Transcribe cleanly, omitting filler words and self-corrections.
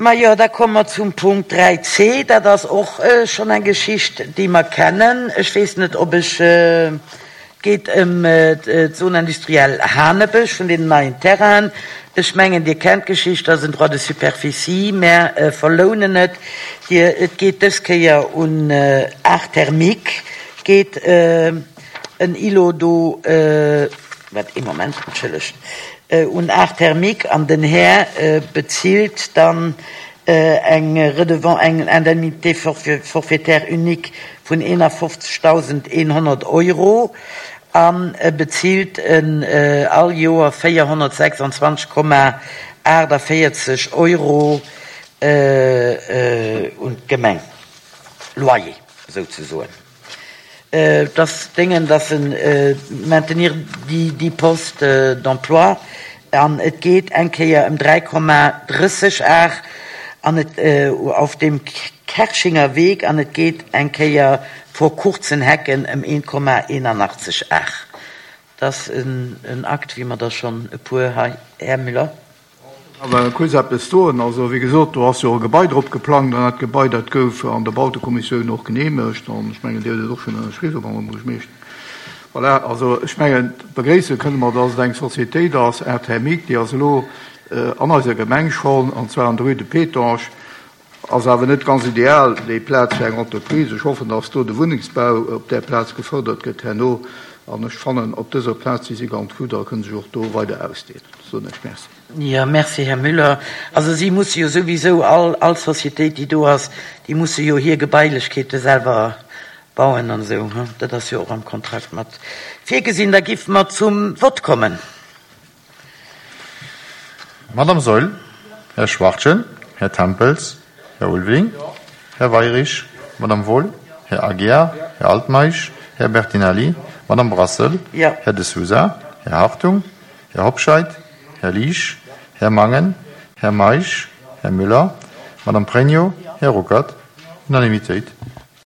Majo, da komme mer zum Punkt 3c. Dat ass och schonn eng Geschicht, déi mer kennen. Ech weess net, ob ech, et geet ëm d'Zone industrielle Hanebësch vun deenen neien Terrainen. Ech mengen, Dir kennt d'Geschicht, dat ass en Droit de superficie. Mär verlounen et. Dir, et geet dës Kéier un Art Thermique, geet en Îlot do, wat, ee Moment, entschëllegt, un Art Thermique an den Här bezilt dann eng Redevance, eng Indemnité forfaitaire unique vun 51.100 Euro a bezilt all Joer 426,48 Euro un d'Gemeng, Loyer souzesoen. Et ass déngen, dass en maintenir déi Postes d'emploi an et geet eng Kéier ëm 3,30 Ar an et auf dem Kerchinger Weg an et geet eng Kéier vor kurzen Hecken ëm 1,81 Ar. Dat ass en Akt, wéi mer der schonn e puer hei, Här Müller. Awer kuerz eppes soen. Also, wéi gesot, do ass jo e Gebai drop geplangt an dat Gebai, dat gouf an der Bautekommissioun och geneemegt an ech mengen, Dir hutt et och schonn ënnerschriwwen, Madame Buergermeeschter. Voilà, also ech mengen, begréisse kënne mer, dass et eng Sociétéit ass, Air-Thermique, déi ass elo an eiser Gemeng schonn, an zwar an der Rue de Pétange. Ass awer net ganz ideal, déi Plaz fir eng Entreprise. Ech hoffen, dass do de Wunnengsbau op där Plaz gefördert gëtt herno. An ech fannen, op dëser Plaz si si ganz gutt a kënne sech och do weider ausdeenen. Soen ech Merci. Jo, merci, Här Müller. Also si musse jo souwisou, all, all Sociétéit, déi do ass, déi musse jo hir Gebailechkeete selwer bauen an esou. Dat ass jo och am Kontrakt mat virgesinn. Da géife mer zum Vott kommen. Madame Saeul, Här Schwachtgen, Här Tempels, Här Ulveling, Här Weirich, Madame Wohl, Här Aguiar, Här Altmeisch, Här Bertinelli, Madame Brassel, Här De Sousa, Här Hartung, Här Hobscheit, Här Liesch, Här Mangen, Här Meisch, Här Müller, Madame Pregno, Här Ruckert. Unanimitéit.